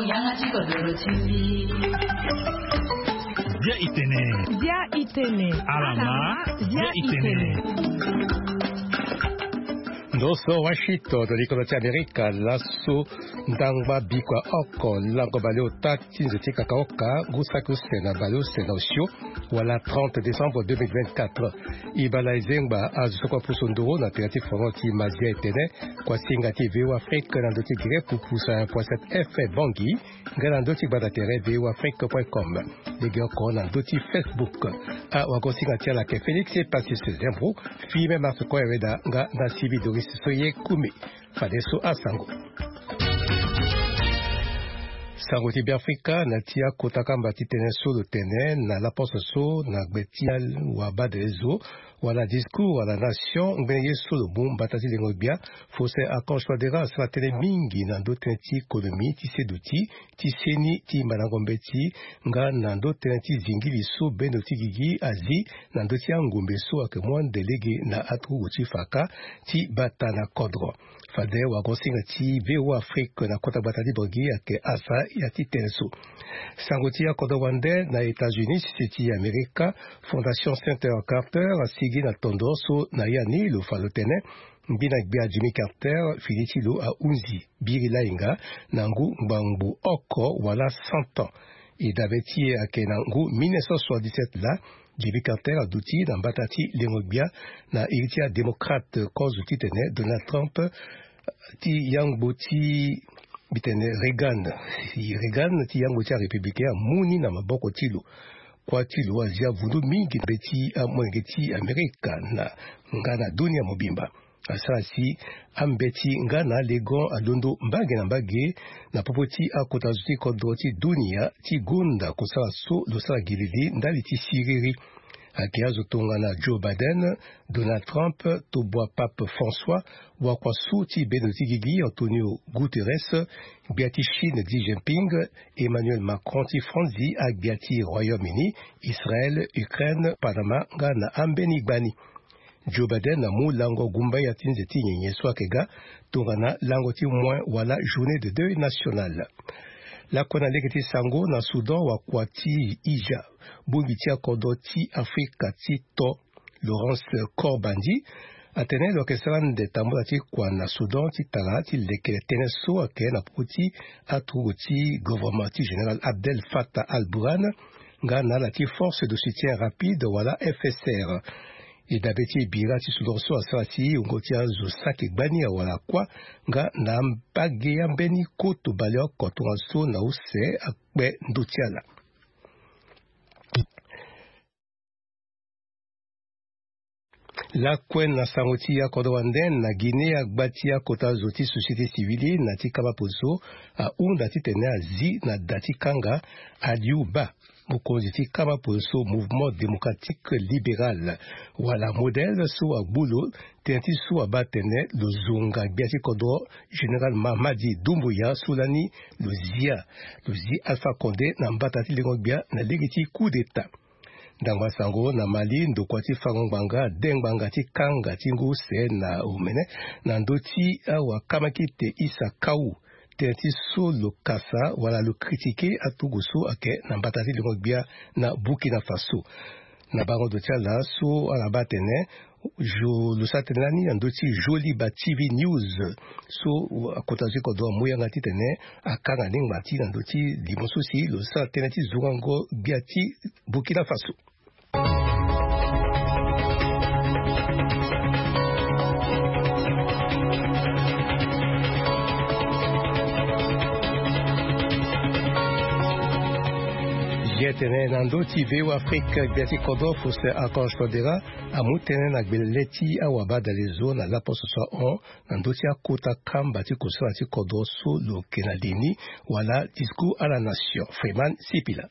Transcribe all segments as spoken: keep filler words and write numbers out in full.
Yanga ti kodoro ti mbi. Bia itene. Bia itene. Alama. Bia itene. Ndo so Washington, likolo ti Amerika, laso ndangba bikua oko lango baleota ti nze ti kakaoka, ngu saki use na baleuse na osio, wala trente décembre deux mille vingt-quatre. Ibala ezengba azo so kua pusu nduru na tere ti fono ti Mazia Etene, kua singa ti V O Afrique na ndo ti gere pupusa point sept F M Bangui, nga na ndo ti gbata tere V O Afrique point com. Lege oko na ndo ti Facebook. Awagosinga ti ala ayeke Félix Pacius Zembro, Firmin Marc Koyaweda nga na Sibi Doris Soye Kumi. Fadeso asango. Sango ti Beafrika na ti akota kamba ti tënë so lo tene na laposo so na gbe ti awabadelezo wala discours à la nation ngbene ye so lo mu mbata ti lengo gbia, Faustin Archange Touadéra asara tënë mingi na ndo tënë ti konomi ti seduti ti seni ti mandango mbeti nga na ndo tënë ti zingili so bendo ti gigi azi na ndo ti angombe so ayeke mu ande lege na aturugu ti faka ti bata na kodro. Fade wagosinga ti V O Afrique na kota gbata ti Bangui ayeke asa ya ti tënë so. Sango ti akodro wande na États-Unis, sese ti Amerika, Fondation Center Carter asigi na tondo so na ya ni lo fa lo tene, mbi na gbia Jimmy Carter fini ti lo ahunzi biri lahinga na ngu ngbangbo oko wala cent ans. E dabe ti e ayeke na ngu mille neuf cent soixante-dix-sept laa, Jimmy Carter aduti na mbata ti lengo gbia na iri ti adémocrate kozo titene Donald Trump ti yangbo ti, mbi tene, Reagan. Reagan ti yangbo ti arépublicain amu ni na maboko ti lo. Kuâ ti lo azi avundu mingi na mbeti amolenge ti Amerika na nga na dunia mobimba. Asara si ambeti nga na alegon alondo mbage na mbage na popo ti akota zo ti kodro ti dunia ti gonda kosara so lo sara gilili ndali ti siriri. Ayeke azo tongana Joe Biden, Donald Trump, tobua Pape François, wakua su ti bendo ti gigi Antonio Guterres, gbia ti Chine Xi Jinping, Emmanuel Macron ti Franzi, agbia ti Royaume-Uni, Israël, Ukraine, Panama nga na ambeni gbani. Joe Biden amu lango gumbaya ti nze ti nyenye so ayeke ga tongana lango ti moins wala journée de deuil national. Lakue na lege ti sango na Soudan, wakua ti Ija, bongbi ti akodro ti Afrika ti to, Laurence Korbandi, atene lo yeke sara ande tambula ti kua na Soudan ti tara ti lekere tënë so ayeke na popo ti aturugu ti gouvernement ti général Abdel Fattah al-Burhan nga na ala ti force de soutien rapide wala F S R. E dabe ti e bira ti Soudan so asara si wungo ti azo saki gbani awara kuâ nga na mbage ambeni koto baleoko tongaso na use akpe ndö ti ala. Lakue na sango ti akodro wande na Guinée, agba ti akota zo ti société civile na ti kama poso ahunda titene azi na da ti kanga Aliou Ba, mokonzi ti kama poso Mouvement Démocratique Libéral, wala modèle so agbu lo, tënë ti so abaa atene lo zonga gbia ti kodro Général Mamadi Doumbouya so lani lo zia, lo zi Alpha Condé na mbata ti lengo gbia na lege ti coup d'État. Ndangba sango na Mali, ndokua ti fango ngbanga ade ngbanga ti kanga ti ngu use na omene na ndö ti awakamakite Issa Kaou, tënë ti so lo kasa wala lo critiquer aturugu so ayeke na mbata ti lengo gbia na Burkina Faso. Na bango ndo ti ala so ala baa atene, jo lo sara tënë lani na ndö ti Joliba T V News so akota zo ti kodro amu yanga titene akanga ni ngba ti na ndö ti limo so si lo sara tënë ti zongango gbia ti Burkina Faso. Ye tene na ndö ti V O Afrique, gbia ti kodro Faustin Archange Touadéra amu tënë na gbele ti awabadalezo na laposo so ahon na ndö ti akota kamba ti kosala ti kodro so lo yeke na li ni, wala discours à la nation. Freeman Sipila.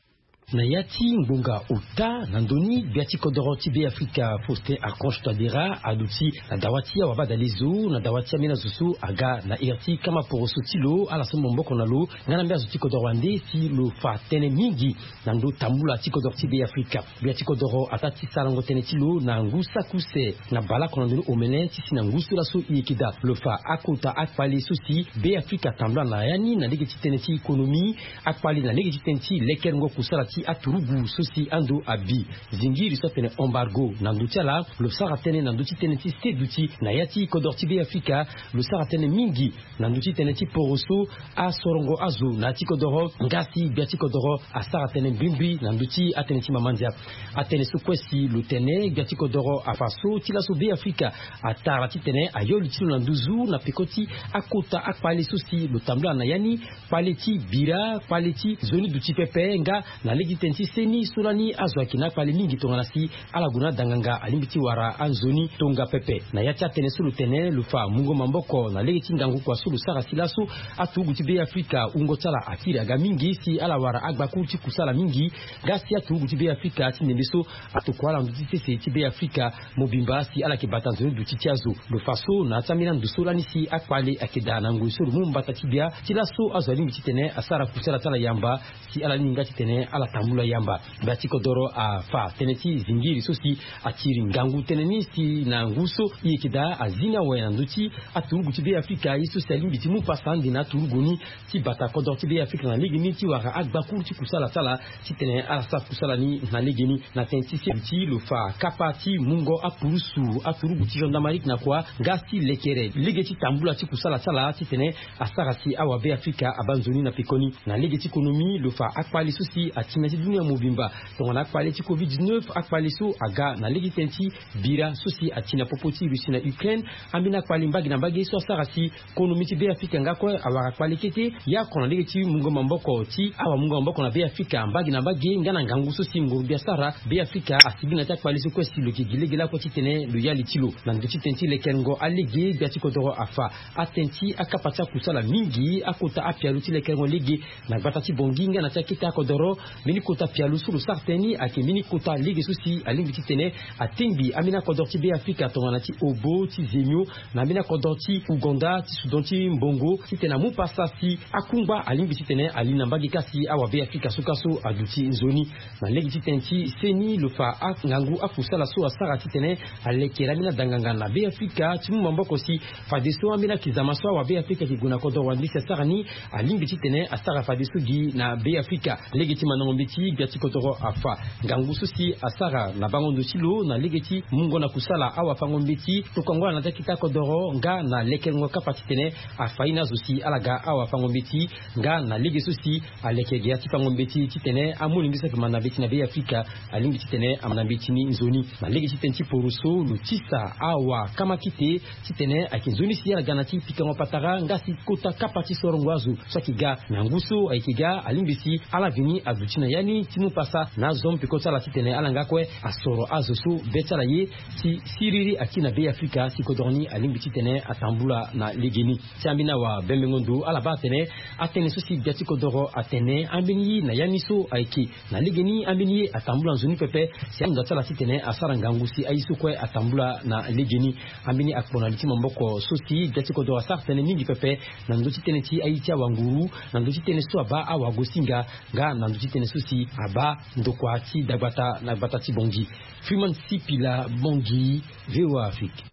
Na ya ti ngbonga ota na ndö ni, gbia ti kodoro ti Beafrika Faustin Archange Touadéra aduti na dawa ti awabadalezo na dawa ti ambeni azo so aga na iri ti kama poroso ti lo, ala so maboko na lo nga na mbeni azo ti kodoro wande si lo fa tënë mingi na ndö tambula ti kodoro ti Beafrika. Gbia ti kodoro ataa ti sarango tënë ti lo na ngu saki use na baleoko na ndoni omene ti si na ngu so laso e yeke daa. Lo fa akota akpale so si Beafrika atambula na ya ni na lege ti tënë ti économie, akpale na lege ti tënë ti lekerengo kusala ti aturugu so si ando abi zingiri so atene embargo na ndö ti ala. Lo sara tënë na ndö ti tënë ti seduti na ya ti kodoro ti Beafrika. Lo sara tënë mingi na ndö ti tënë ti poroso asorongo azo na ya ti kodoro. Nga si gbia ti kodoro asara tënë mbrimbri na ndö ti atënë ti mama ndia. Atënë so kue si lo tene, gbia ti kodoro afa so ti laso Beafrika atara titene ayo li ti lo na nduzu na peko ti akota akpale so si lo tambula na ya ni. Kpale ti bira, kpale ti nzoni duti pepe, nga na lege ti tënë ti seni so lani azo ayeke na akpale mingi tongana si ala gue na adanganga alingbi ti wara anzoni tonga pepe. Na ya ti atënë so lo tene, lo fa mungo maboko na lege ti ngangu kua so lo sara si laso aturugu ti Beafrika wungo ti ala akiri aga mingi si ala wara agbakuru ti kusala mingi. Nga si aturugu ti Beafrika ti ndembe so atokua ala na ndö ti sese ti Beafrika mobimba si ala yeke bata nzoni duti ti azo. Lo fa so na ya ti ambeni ando so lani si akpale ayeke daa na ngoi so lo mu mbata ti gbia ti laso azo alingbi titene asara kusala ti ala yamba si ala lingbi nga titene ala tambula yamba. Gbia ti kodoro afa tënë ti zingiri so si atiri ngangu tënë ni si na ngu so e yeke daa azi ni awe na ndö ti aturugu ti Beafrika, ye so si alingbi ti mu pasa ande na aturugu ni ti bata kodoro ti Beafrika na legeni ti wara agbakuru ti kusala ti ala titene ala sara kusala ni na legeni. Na tënë ti seduti, lo fa kapa ti mungo apurusu aturugu ti gendarmerie na kua, nga si lekere lege ti tambula ti kusala ti ala titene asara si awa Beafrika abaa nzoni na pekoni. Na lege ti konomi, lo fa akpale so si ati na ya ti dunia mobimba tongana akpale ti covid dix-neuf, akpale so aga na lege ti tënë ti bira so si ati na popo ti Russie na Ukraine. Ambeni akpale mbage na mbage so asara si konomi ti Beafrika nga kue awara kpale kete. Ya oko na lege ti mungo maboko ti awamungo maboko na Beafrika mbage na mbage nga na ngangu so si nguru-gbia asara, Beafrika asigi na ya ti akpale so kue si lo yeke gi lege lakue titene lo ya li ti lo. Na ndö ti tënë ti lekerengo alege, gbia ti kodoro afa atënë ti akapa ti akusala mingi, akota apialo ti lekerengo lege na gbata ti Bangui nga na ti akete akodoro. Mbeni kota pialo so lo sara tënë ni ayeke mbeni kota lege so si alingbi titene atengbi ambeni akodoro ti Beafrika tongana ti Obo, ti Zemio, na ambeni akodoro ti Ouganda, ti Soudan ti Mbongo, titene amu pasa si akungba alingbi titene ali na mbage kâ si awa Beafrika so kâ so aduti nzoni. Na lege ti tënë ti seni, lo fa angangu akusala so asara titene alekere ambeni adanganga na Beafrika ti mu maboko si fadeso ambeni akizama so awa Beafrika ayeke gue na kodoro wande si asara ni, alingbi titene asara fadeso gi na Beafrika. Lege ti mandango mbeti, gbia ti kodoro afa ngangu so si asara na bango ndo ti lo na lege ti mungo na kusala awafango mbeti, tokuango ala na ti akete akodoro nga na lekerengo kapa titene afa ye na azo si ala ga awafango mbeti, nga na lege so si aleke ge ya ti fango mbeti titene amolenge so ayeke manda mbeti na Beafrika alingbi titene amanda mbeti ni nzoni. Na lege ti tënë ti poroso, lo tisa awa kamakite titene ayeke nzoni si ala ga na ti pikango patara, nga si kota kapa ti sorongo azo so ayeke ga na ngu so ayeke ga alingbi si ala vini aduti na ya ni ti mu pasa na azo mpeko ti ala titene ala nga kue asoro azo so be ti ala ye si siriri akiri na Beafrika si kodoro ni alingbi titene atambula na legeni. Ti ambeni awabembengo ndo ala baa atene atënë so si gbia ti kodoro atene ambeni ye na ya ni so ayeke na legeni, ambeni ye atambula nzoni pepe si ahunda ti ala titene asara ngangu si aye so kue atambula na legeni. Ambeni akpo na li ti maboko so si gbia ti kodoro asara tënë mingi pepe na ndö ti tënë ti aye ti awanguru, na ndö ti tënë so abaa awagosinga, nga na ndö ti tënë so si abaa ndokua ti dagbata na gbata ti Bangui. Freeman Sipila, Bangui, V O A Afrique.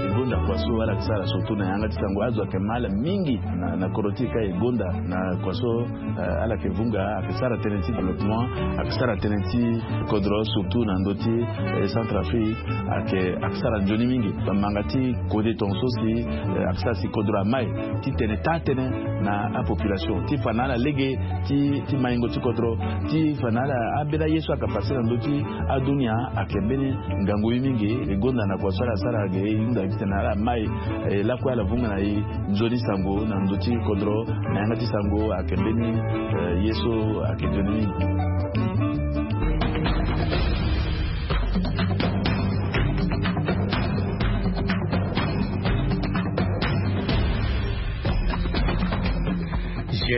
E gonda kua so ala yeke sara surtout na yanga ti sango, azo ayeke ma ala mingi na, na kodro ti e ka e gonda na kua so, eh, ala yeke vunga, ayeke sara tënë ti développement, ayeke sara tënë ti kodro surtout na ndö ti, eh, Centrafrique, ayeke, ayeke sara nzoni mingi. Bamanga ti kode tongaso si, eh, ayeke sara si kodro amai titene taa tënë na apopulation ti fa na ala lege ti, ti maingo ti kodro, ti fa na ala ambeni aye so ayeke pase na ndö ti adunia. Ayeke mbeni ngangu ye mingi. E gonda na kua so ala sara ge, e hunda titene ala mai, eh, lakue ala vunga na e nzoni sango na ndö ti kodro na yanga ti sango. Ayeke mbeni, eh, ye so ayeke nzoni mingi.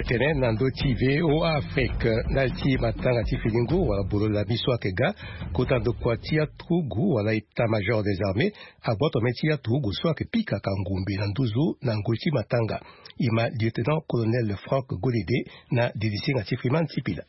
Tene na ndö ti V O A Afrique, ndali ti matanga ti finingu wala bolo lami so ayeke ga, kota ndokua ti aturugu wala état major des armées agboto me ti aturugu so ayeke pika ka ngombe na nduzu na ngoi ti matanga. E ma lieutenant colonel Franck Golede na didisinga ti Freeman Sipila.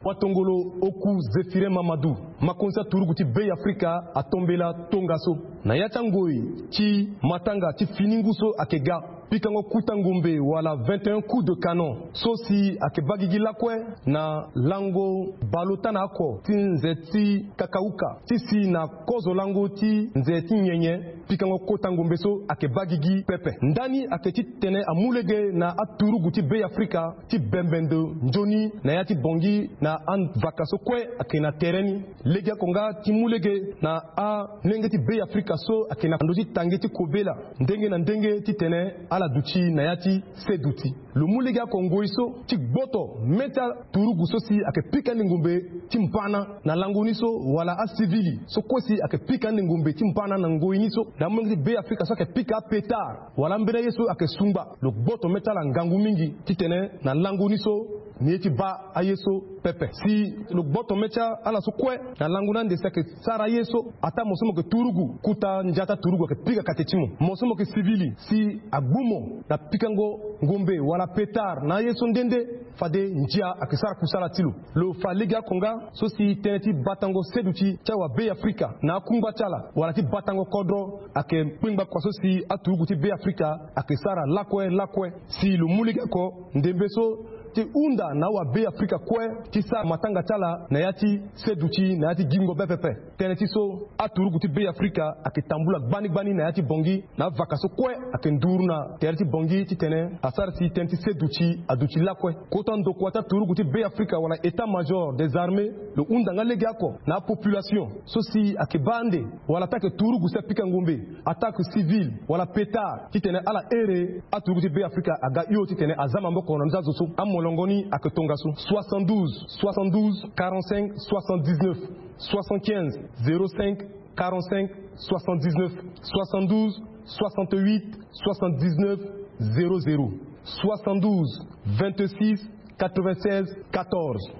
Watongolo Oku Zéphirin Mamadou, makonzi aturugu ti Bêafrika atombela tongaso na ya ti angoi ti matanga ti finingu so ayeke ga. Pikango kuta ngombe wala vingt et un coups de canon so si ayeke baa gigi lakue na lango baleota na oko ti nze ti kakauka ti si na kozo lango ti nze ti nyenye. Pikango kota ngombe so ayeke baa gigi pepe. Ndani ayeke ti tene amu lege na aturugu ti Bêafrika ti bembe ndo nzoni na ya ti Bangui na avaka so kue ayeke na tere ni. Legeoko nga ti mu lege na alenge ti Bêafrika so ayeke na ndö ti tange ti kobela ndenge na ndenge titene ala duti na ya ti seduti. Lo mu legeoko ngoi so ti gboto me ti aturugu so si ayeke pika ande ngombe ti mbana na lango ni so, wala asivili so kue si ayeke pika ande ngombe ti mbana na ngoi ni so, na amolenge ti Bêafrika so ayeke pika apetard wala ambeni aye so ayeke sungba. Lo gboto me ti ala ngangu mingi titene na lango ni so, ni ye ti baa aye so pepe. Si lo gboto me ti ala so kue na lango ni ande si ayeke sara aye so, ataa mo so mo yeke turugu, kuta ndia ti aturugu ayeke pika kate ti mo. Mo so mo yeke sivili, si agbu mo na pikango ngombe wala petard na aye so nde nde, fade ndia ayeke sara kusala ti lo. Lo fa legeoko nga so si tënë ti batango seduti ti awa Bêafrika na akungba ti ala wala ti batango kodro ayeke kpengba kua so si aturugu ti Bêafrika ayeke sara lakue lakue. Si lo mu legeoko ndembe so ti hunda na awa Bêafrika kue ti sara matanga ti ala na ya ti seduti na ya ti gingo be pepe. Tënë ti so aturugu ti Bêafrika ayeke tambula gbani gbani na ya ti Bangui na avaka so kue ayeke nduru na tere ti Bangui titene asara si tënë ti seduti aduti lakue. Kota ndokua ti aturugu ti Bêafrika wala état major des armées lo hunda nga legeoko na apopulation so si ayeke baa ande wala ataa ayeke turugu si apika ngombe, ataa ayeke civil wala petard, titene ala here aturugu ti Bêafrika aga hio titene aza maboko na ndö ti azo so. Amolongo ni ayeke tongaso: soixante-douze soixante-douze quarante-cinq soixante-dix-neuf, soixante-quinze zéro cinq quarante-cinq soixante-dix-neuf, soixante-douze soixante-huit soixante-dix-neuf zéro zéro, soixante-douze vingt-six quatre-vingt-seize quatorze.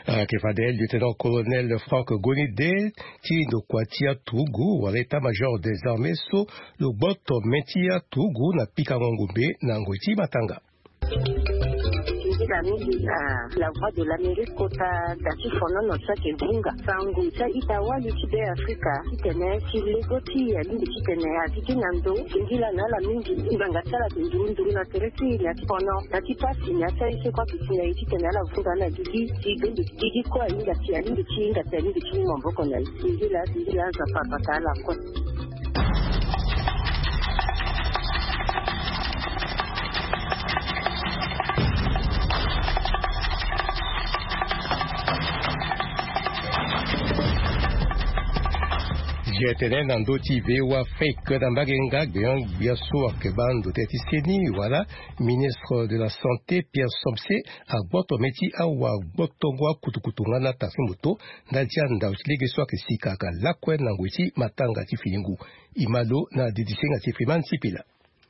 Ayeke fade lieutenant colonel Franck Golede ti ndokua ti aturugu wala état major des armées so lo gboto me ti aturugu na pikango ngombe na ngoi ti matanga. Nzila mingi na La Voix de l'Amérique kota da ti fonono so ayeke vunga sango ti a-ita wali ti Bêafrika titene si lego ti e alingbi titene azi ti na ndo. Singila na ala mingi. Ngbanga ti ala ayeke nduru nduru na tere ti e na ti fono, na ti pasi, na ti aye so kue ayeke si na e titene ala vunga ala gigi. Si bembe gigi kue ahinga si alingbi ti hinga si alingbi ti mu maboko na e. Singila, singila, azo apara bata ala kue. Zia tene na ndö ti V O A Afrique na mbage nga gbeon gbia so ayeke baa ndo tënë ti seni wala ministre de la santé Pierre Somse agboto me ti awa gbotongo akutukutu nga na taxi moto ndali ti andau ti lege so ayeke sika aga lakue na ngoi ti matanga ti finingu. E ma lo na didisinga ti Freeman Sipila.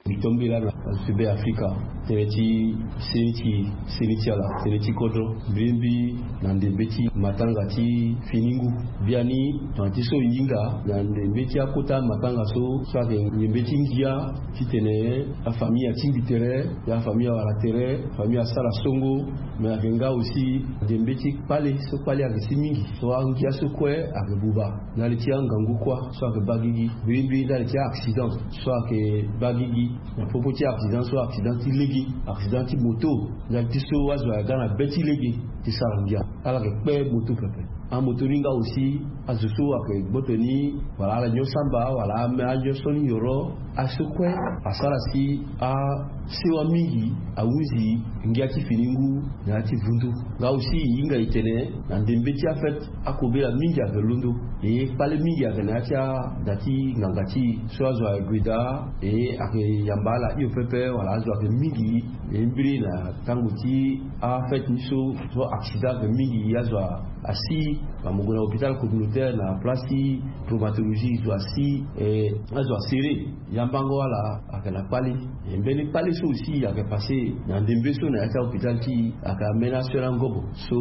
Mbi tombela na azo ti Bêafrika tënë ti seni ti seni ti ala, tënë ti kodro, mbirimbi na ndembe ti matanga ti finingu. Biani tongana ti so e hinga na ndembe ti akota matanga so, so ayeke ndembe ti ngia titene afamille atingbi tere, ya afamille awara tere, afamille asara songo. Me ayeke nga aussi ndembe ti kpale so kpale ayeke si mingi, so angia so kue ayeke buba. Ndali ti angangu kuâ so ayeke baa gigi, mbirimbi ndali ti a-accident so ayeke baa gigi. Na popo ti accident so, accident ti lege, accident ti moto, ndali ti so azo ayeke ga na be ti lege ti sara ngia, ala yeke kpe moto pepe. Amoto ni nga aussi azo so ayeke gboto ni, wala ala nyon samba, wala ame anyon so ni nyoro, aso kue asara si asewa mingi ahunzi ngia ti fini ngu na ya ti vundu. Nga aussi e hinga e tene na ndembe ti afete akobela mingi ayeke londo. E kpale mingi ayeke na ya ti ada ti nganga ti e so azo ayeke gue daa, e ayeke yamba ala hio pepe wala azo ayeke mingi. E mbiri na tango ti afete ni so, so accident ayeke mingi, azo asi Bamo gue na hôpital communautaire na place ti traumatologie, zo asi, eh, azo asere. Yambango ala ayeke na kpale. E mbeni kpale so aussi ayeke passé na ndembe so na ya ti ahôpital ti e, ayeke ambeni aso ya ngobo so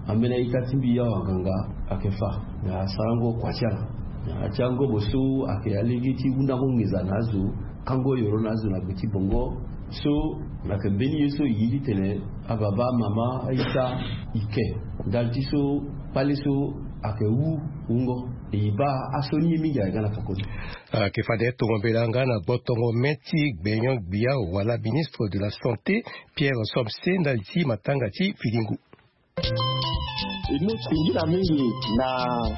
ambeni a-ita ti mbi awanganga ayeke fa na asarango kua ti ala. Na ya ti angobo so ayeke alege ti hundango nginza na azo, kango yoro na azo na gbe ti bongo. So ayeke mbeni ye so e ye titene ababa, amama, a-ita, e ke ndali ti so kpale so ayeke wu wungo. E baa aso ni ye mingi ayeke ga na fakoli. Ayeke fade tongo mbela nga na gbotongo me ti gbenyo-gbia wala ministre de la santé, Pierre Somse, ndali ti matanga ti filingu. E mu singila mingi na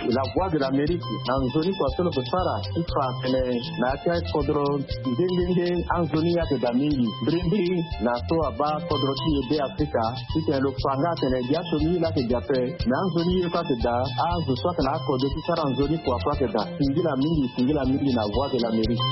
La Voix de l'Amérique na nzoni kua so lo yeke sara ti fa tene na ya ti akodro nde nde nde anzoni ye ayeke daa mingi. Mbirimbiri na so abaa kodro ti e Be Afrika, titene lo fa nga atene gi aso ni ye laa ayeke daa ape, me anzoni ye kue ayeke daa, azo so ayeke na akode ti sara nzoni kua kue ayeke daa. Singila mingi, singila mingi na Voix de l'Amérique.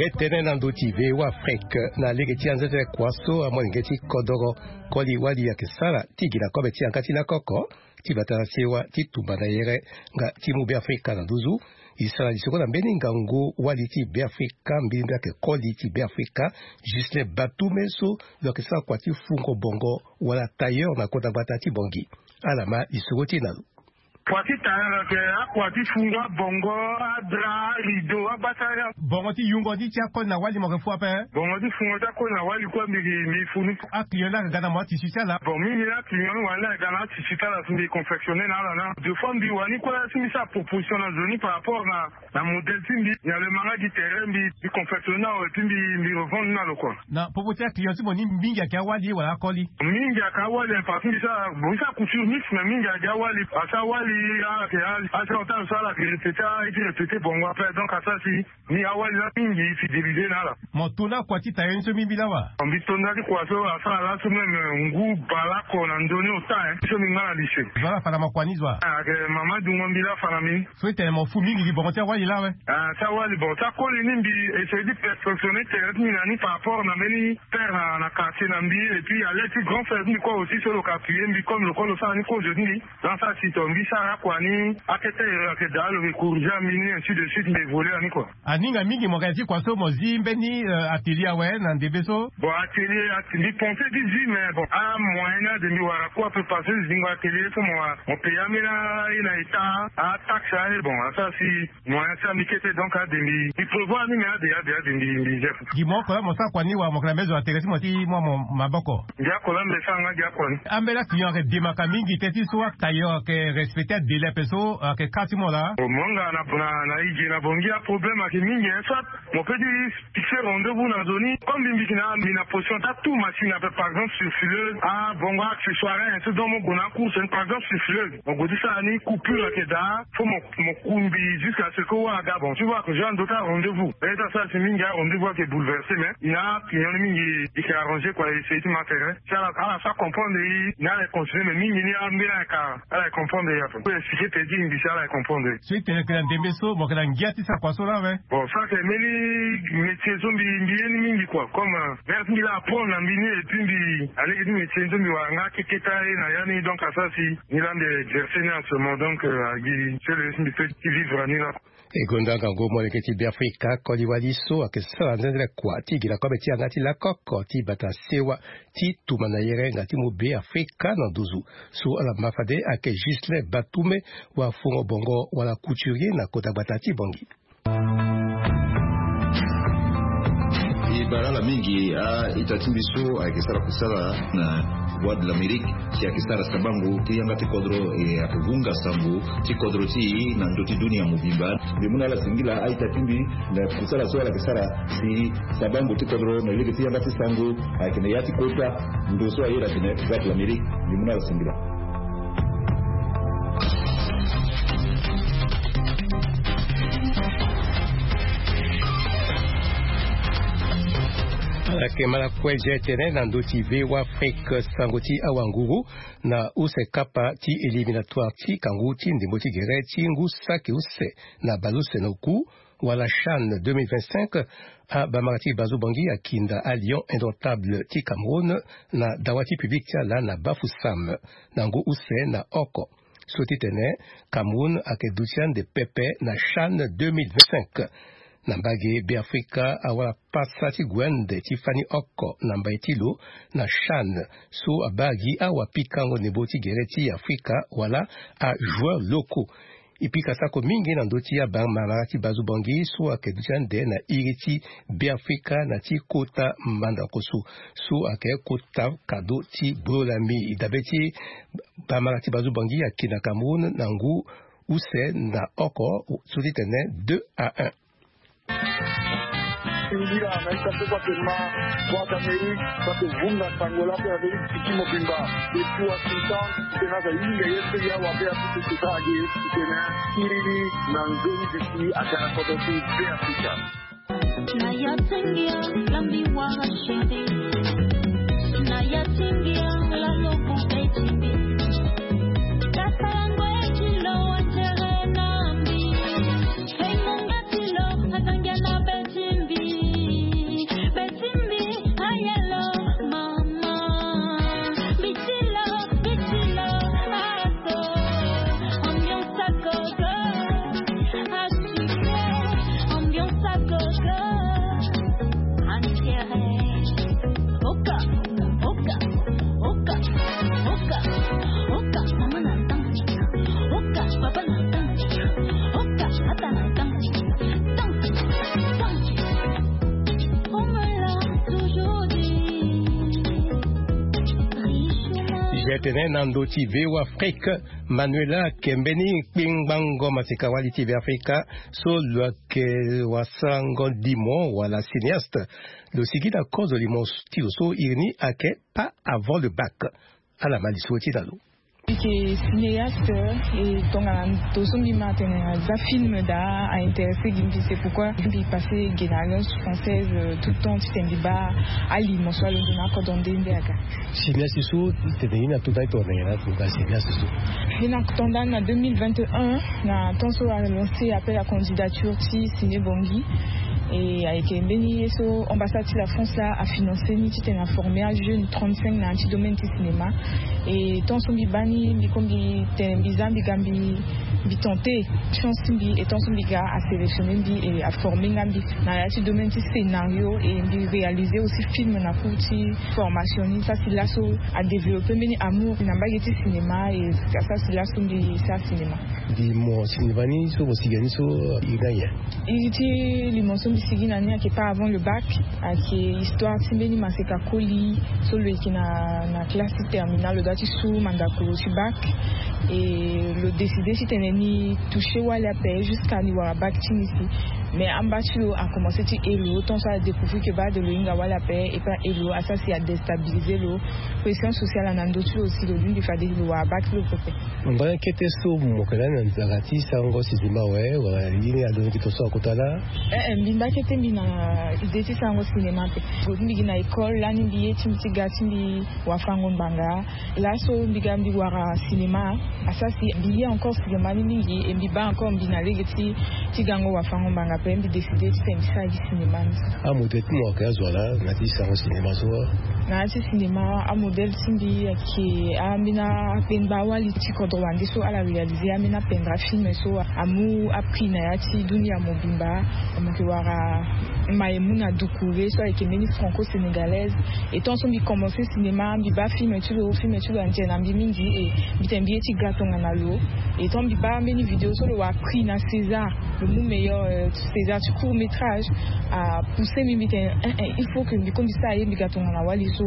Ye tënë na ndö ti V O A Afrique na lege ti anzenze kua so amolenge ti kodoro koli wali ayeke sara ti gi na kobe ti yanga ti lakoko ti bata na sewa ti tumba na yere nga ti mu Be Afrika na nduzu. E sara lisoro na mbeni ngangu wali ti Be Afrika, mbirimbiri ayeke koli ti Be Afrika, Ghislain Batume so lo yeke sara kua ti fungo bongo wala tailleur na kota gbata ti Bangui. Ala ma lisoro ti e na lo. Kua ti tailleur ayeke akua ti fungo abongo, adra, arideau, abasara. Bongo ti yungo ni ti akoli na wali mo yeke fu ape? Bongo ti fungo ti akoli na wali kue mbi, mbi fu ni. Aclient ni ayeke ga na mo atisi ti ala? Bon, mingi ni aclient ni wala ni ayeke ga na atisi ti ala si mbi confectionner na ala na. Deux fois mbi wani kue si mbi sara proposition na zo ni par rapport na, na modèle ti mbi. Nyen lo ma nga gi terrain, mbi, mbi confectionner na lo et puis mbi, mbi revendre ni na lo kua. Na popo ti aclient ti mo ni mingi ayeke awali wala akoli? Mingi ayeke awali, parce que mbi sara, bon, mbi sara couture mixte, mais mingi ayeke awali. Parce que awali, ala yeke, a, a, so ala yeke répéter, a, e ti répéter bongo ape, donc asara si ni awali laa mingi e fidéliser na ala. Mo to na kua ti tailleur ni so mbi mbi laa wa? Mbi to na ti kua so asara laso même, euh, ngu bale oko na ndoni ota, hein. So mbi nga na lycée. Zo ala fa na mo kua ni zo wa? Ah, ayeke mama dungo mbi laa fa na mbi. So e tene mo fu mingi gi bongo ti awali laa awe? Ah, ti awali, bon, ti akoli ni mbi essayer ti perfectionner tere ti mbi na ni par rapport na mbeni terre na, na quartier na mbi, et puis à l'aide ti grand frère ti mbi kue aussi so lo yeke appuyer mbi comme lo kue lo sara ni kozo ti mbi. Donc asara si tongana mbi sara akua ni, akete, ayeke daa lo yeke corriger mbi ni, ainsi de suite, mbi évoluer na ni kua. Aninga mingi mo ga ti kua so mo zi mbeni, euh, atelier awe na ndembe so? Bon, atelier, ati, mbi pensé ti zi, mais bon, amoyen ni ade mbi wara kue ape parce que zingo atelier so mo, mo payer ambeni aye na état, ataxe aye, bon, asara si moyen ti mbi kete, donc ade mbi, mbi prévoir ni, mais ade, ade, ade mbi, mbi zi ape. Gi mo oko laa mo sara kua ni wa mo yeke na mbeni zo na tere ti mo ti mu maboko? Gi oko laa mbi sara nga gi akua ni. Ambeni aclient ayeke demaka mingi teti so atailleur ayeke respecter adélai ape so ayeke ka ti mo laa? Bon, mo nga na, na, na e ge na Bangui, aproblème ayeke mingi, hein, soit mo peut ti fixer rendez-vous na zo ni, comme mbi, mbi yeke na, mbi na position ti atu machine ape, par exemple surfileuse, ah, bongo accessoire, hein, so donc mo gue na acourse ni, par exemple surfileuse. Mo gue ti sara ni coupure ayeke daa, faut mo, mo kumbi jusqu'à ce que wâ aga. Bon, tu vois que je dois rendez-vous. Et ça, ça, c'est mingi, rendez-vous ayeke bouleversé, mais il y a client mingi, il s'est arrangé, quoi, et c'est ma terrain. Si ala, ala sara comprendre, il y a les continuer, mais mingi, ni ambeni ala yeke, ala yeke comprendre, ya. Faut expliquer, te ti mbi si ala yeke comprendre. So e tene yeke na ndembe so, mo yeke na ngia ti sara kua so laa awe? Bon, ça, c'est mbeni métier so mbi, mbi ye ni mingi, quoi. Comme, euh, mère ti mbi laa apprendre na mbi ni, et puis mbi, alege ti métier so mbi wara nga keketa ye na ya ni, donc, asara si Ni laa mbi exercer ni en ce moment, donc, euh, agi, c'est le, mbi peut ti vivre ni laa. E gonda ngangu molenge ti Beafrika koli wali so ayeke sara nzenzele kua ti gi na kobe ti yanga ti lakoko ti bata sewa ti tumba na yere nga ti mu Beafrika na nduzu. So ala ma fade ayeke Ghislain Batume, wafungo bongo wala couturier na kota gbata ti Bangui. E bara ala mingi a-ita ti mbi so ayeke sara kusala na Voix de l'Amérique, si ayeke sara sabango ti yanga ti kodro, e ayeke hunga sango ti kodro ti e na ndö ti dunia mobimba. Mbi mu na ala singila a-ita ti mbi na kusala so ala yeke sara si sabango ti kodro na lege ti yanga ti sango ayeke na ya ti kota ndo so ayeda tene Voix de l'Amérique. Mbi mu na ala singila. Takemala kue je tene na ndö ti V O A Afrique, sango ti awanguru na use kapa ti éliminatoire ti kangu ti ndembo ti gere ti ngu saki use na baleuse na oku, wala CHAN deux mille vingt-cinq. Abamara ti Bazobangi akinda a Lion Indomptable ti Cameroun na dawa ti public ti ala na Bafoussam na ngu use na oko. So ti tene Cameroun ayeke duti ande pepe na CHAN deux mille vingt-cinq. Na mbage Beafrika awara pasa ti gue ande ti fani oko na mbai ti lo na CHAN, so abaa gi awapikango ndembo ti gere ti Afrika wala ajoueur locaux. E pika sako mingi na ndö ti abamara ti Bazobangi so ayeke duti ande na iri ti Beafrika na ti kota mandankoso so ayeke kota kado ti Bololami. Dabe ti bamara ti Bazobangi ayeke na Cameroun na ngu use na oko so ti tene deux à un. Singila na ita so kua kema, kua d'Amérique, kua kovunga sango la pe Amérique tiki mobimba. Depuis Washington, tena za yinga ye pe ya wa pe ya tutu tuta age, tena kiri na nzoni bisi akana kodo ti Beafrika. Na ya tingia lambi wara chéri. Na ya tingia la lobu betimbi. Kasalango ekilo watere na mbi. Hey, munga tilo, atangia na betimbi. Betimbi, ayelo, mama. Bitilo, bitilo, aso. Ambiance à gogo. Assuré, ambiance à gogo. Enterré. Oka, oka, oka, oka, oka. Mama na ntango. Oka, papa na ntango. Oka, ata na ntango. Tango, tango. On me l'a toujours dit. Riche. Je tenais na ndö ti V O A Afrique. Manuela ayeke mbeni kpingbango maseka wali ti Beafrika so lo yeke wasarango limo wala cinéaste. Lo sigi na kozo limo ti lo so iri ni ayeke Pas avant le bac. Ala ma lisoro ti na lo. Mbi yeke cinéaste, e tongana ndo so mbi ma atene aza film daa a intéressé gi mbi, c'est pourquoi mbi passé ge na Alliance Française, euh, tout le temps titene mbi baa alimo so alondo na akodro nde nde aga. Cinéaste so titene ye ni ato ndani tongana nyen na ato ndani cinéaste so? Ye ni ato ndani na deux mille vingt et un, na temps so alancé appel à candidature ti Ciné Bangui. E ayeke mbeni ye so ambassade ti la France la afinancé ni titene aformé ajeune trente-cinq na ya ti domaine ti cinéma. E temps so mbi baa ni, mbi ko mbi tene mbi za mbi ga mbi, mbi tenté chance ti mbi, e temps so mbi ga asélectionné mbi e aformé nga mbi na ya ti domaine ti scénario, e mbi réalisé aussi film na cours ti formation ni. Sasi laso adéveloppé mbeni amour na mbage ti cinéma, e asasi laso mbi sara cinéma. Mbi mo cinéma ni so mo sigi na ni so iri ni aye? Iri ti limo so mbi sigi na ni ayeke Pas avant le bac. Ayeke histoire ti mbeni maseka koli so lo yeke na, na classe ti terminale, lo dua ti su mandako lo ti bac. E lo décidé titene ni touché wali ape jusqu'à ni wara bac ti ni si. Mais amba ti lo akomansé ti he lo, tant so adécouvrir que bade lo hinga wali ape, et pas he lo, asara si adéstabilisé lo. Pression sociale na ndö ti lo si lo lingbi fade lo wara bac ti lo pepe. Ngoi kete so mo yeke lani na nzara ti sarango cinéma awe, wala ye ni alondo gi to so akota laa? Eh, eh, mbi nda kete mbi na idée ti sarango cinéma ape. Mbi gi na école lani, mbi ye ti mbi ti ga ti mbi wafango ngbanga. Laso mbi ga mbi wara cinéma, asara si mbi ye encore cinéma ni mingi, e mbi baa encore mbi na lege ti, ti gango wafango ngbanga ape, mbi décidé titene mbi sara gi cinéma ni. Amodèle ti mo ayeke azo ala na ya ti sarango cinéma so? Na ya ti cinéma, amodèle ti mbi ayeke ambeni akpengba wali ti kodro wande so ala réalisé ambeni apendre afilm so amu aprix na ya ti dunia mobimba. Mo yeke wara Maïmouna Doucouré so ayeke mbeni franco-sénégalaise. E tant so mbi komansé cinéma, mbi baa film ti lo, film ti lo atene na mbi mingi, e mbi tene mbi ye ti ga tongana lo. E tant mbi baa mbeni vidéo so lo wara prix na César, lo mu meilleur, euh, César ti court métrage, apoussé mbi, mbi tene, eh, eh, il faut que mbi ko mbi sara ye mbi ga tongana wali so.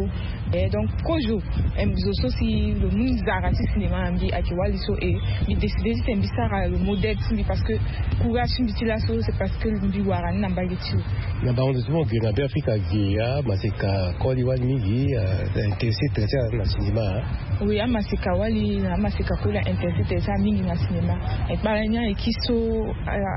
Eh, donc kozo, eh, zo so si lo mu nzara ti cinéma na mbi ayeke wali so, e mbi décidé titene mbi sara lo modèle ti mbi, parce que courage ti mbi ti laso c'est parce que mbi wara ni na mbage ti lo. Na bango ndo ti mo ge na Beafrika ge, amaseka koli wali mingi, ah, intéressé très cher na cinéma, hein. Oui, amaseka wali na amaseka kue la intéressé tene asara mingi na cinéma. Ekpara ni ayeke so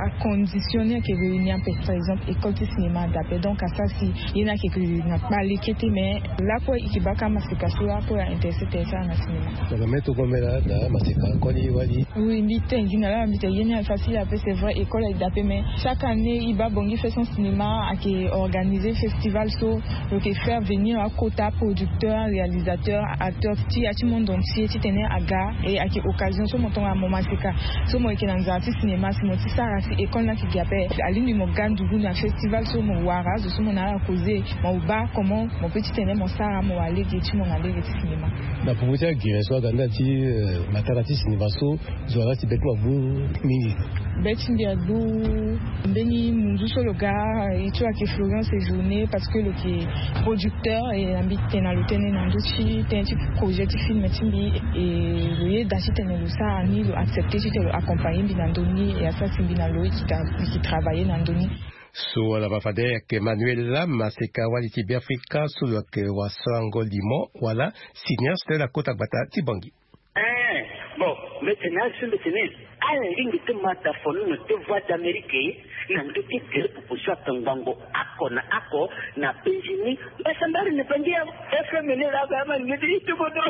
acondition ni ayeke réunir ape. Par exemple, école ti cinéma adape, donc asara si ye ni ayeke na kpale kete. Mais lakue e yeke baka amaseka so lakue la intéressé tene asara na cinéma. Na mame tongomela na amaseka koli wali. Oui, mbi tene gi na laa mbi tene ye ni ayeke facile ape. C'est vrai, école ayeke daa ape, mais chaque année e baa Bangui Fest sans cinéma ayeke organiser festival so lo yeke faire venir akota producteur, réalisateur, acteur ti ya ti monde entier titene aga. E ayeke occasion so mo tongana mo maseka so mo yeke na nzara ti cinéma, si mo ti sara si école ni ayeke gi ape, alingbi mo ga ndugu na festival so mo wara azo so mo na ala causer, mo baa comment mo peut titene mo sara mo wara lege ti mo na lege ti cinéma. Na popo ti agere so aga nda ti matanga ti cinéma so, zo aga ti be ti mo abu mingi. Be ti mbi abu mbeni munzu so lo ga, e ti lo ayeke Florian Séjourné, parce que lo yeke producteur. E na mbi tene na lo tënë na ndö ti tënë ti projet ti film ti mbi. E lo yeda titene lo sara ni, lo accepter titene lo accompagner mbi na ndö ni, e asara si mbi na lo e yeke travailler na ndö ni. So ala ma fade ayeke Manuela, maseka wali ti Beafrika so lo yeke wasango limo wala cinéaste na kota gbata ti Bangui. Eh, bon, mbi tene azo so mbi tene ala lingbi ti ma tafono na te Voix d'Amérique na ndö ti gere popo so atongbango oko na oko na penzi ni. Mbasambari na penzi ya F M ni laa ba ama ni ti tobodo.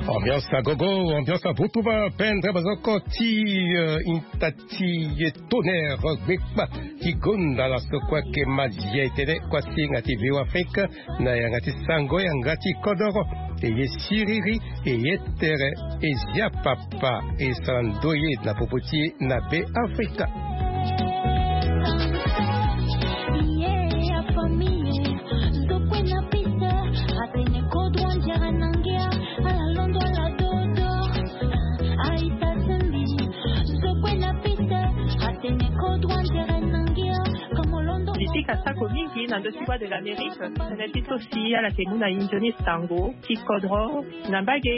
Ambiance à gogo, ambiance à vutuba, pendre bazoko ti, euh, intati ye tonnerre gbekpa ti gonda la so kue ayeke mazi ya etene kue asinga ti V O Afrique na yanga ti sango yanga ti kodoro. E ye siriri, e ye tere, e zia papa, e sara ndoye na popo ti e na Be Afrika. Li ti ka sako mingi na ndö ti Voix de l'Amérique, tënë ti so si ala yeke mu na e nzoni sango ti kodro na mbage.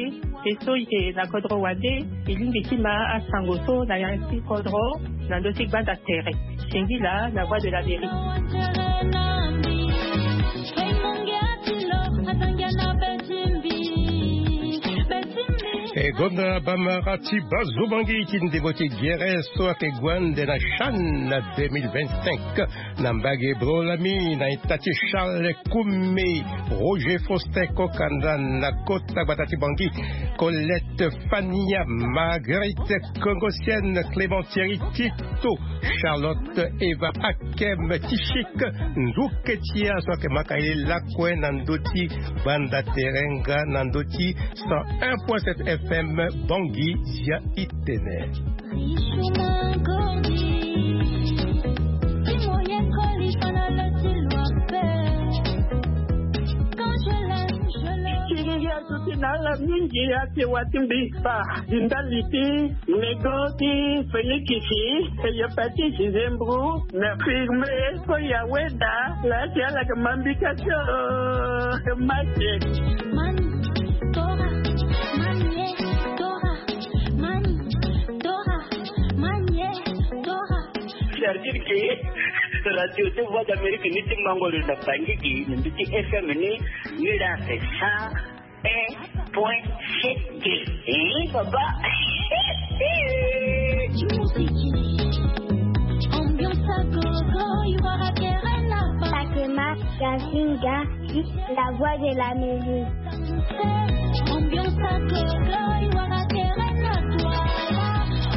E so e yeke na kodro wande, e lingbi ti ma asango so na ya ti kodro na ndö ti gbanda tere. Singila na Voix de l'Amérique. E gonda bamara ti Bazobangi ti ndembo ti gere so ayeke gue ande na CHAN na deux mille vingt-cinq. Na mbage bro lami na ita ti Charles Koumé, Roger Faustin Kokanda na kota gbata ti Bangui, Colette Fania, Marguerite Kongosienne, Clément Thierry Tito, Charlotte Eva Akem Tishik, Nduke Tia so ayeke maka ye lakue na ndö ti gbanda terenga na ndö ti cent un point sept F M Bangui, zia itene. Ti ngia so ti na ala mingi ake wa ti mbi kpa. Di ndali ti nego ti Félix, e ye pa ti Gisembro na firme so ya weda la ti ala yeke ma mbi ka ti o. Mate. Mani, Tora, Mani, Tora, Mani, Tora, Mani, Tora. C'est-à-dire que radio ti Voix d'Amérique ni ti mango lo na Bangui gi na mbi ti F M ni, ni la c'est cent un point sept. Eh, papa. Ambiance à gogo, you are a terrain là-bas. Fatima, Gazinga, la voix de l'Amérique. Ambiance à gogo, you are a terrain là-bas.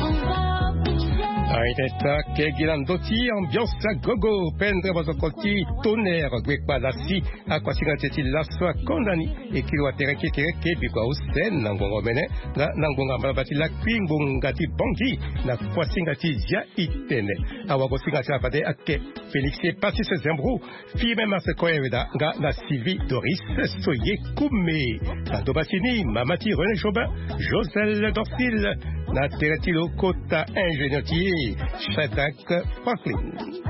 On va bouger. Eta kegi na ndö ti ambiance agogo, pendre bozoko ti tonnerre gbekpa lasi. Akuasinga ti e ti laso akonda ni. E kiri wa tere kekereke biko ahuse na ngonga omene, nga na ngonga mbalaba ti lakui ngonga ti bongi. Na kuasinga ti zia itene. Awagosinga ti afade ake Félix Epasis Zembro, Firmin Marsecoin Weda nga na Sylvie Doris Soye Koumé. Na doba ti ni mama ti René Jobin, Joselle Dorcil. Na tere ti lo kota ingénieur ti e, Shadrach Franklin.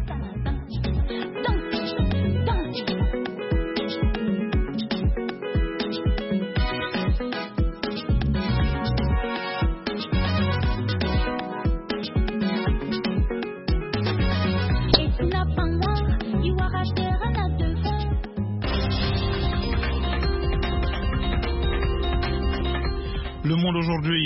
Le monde aujourd'hui.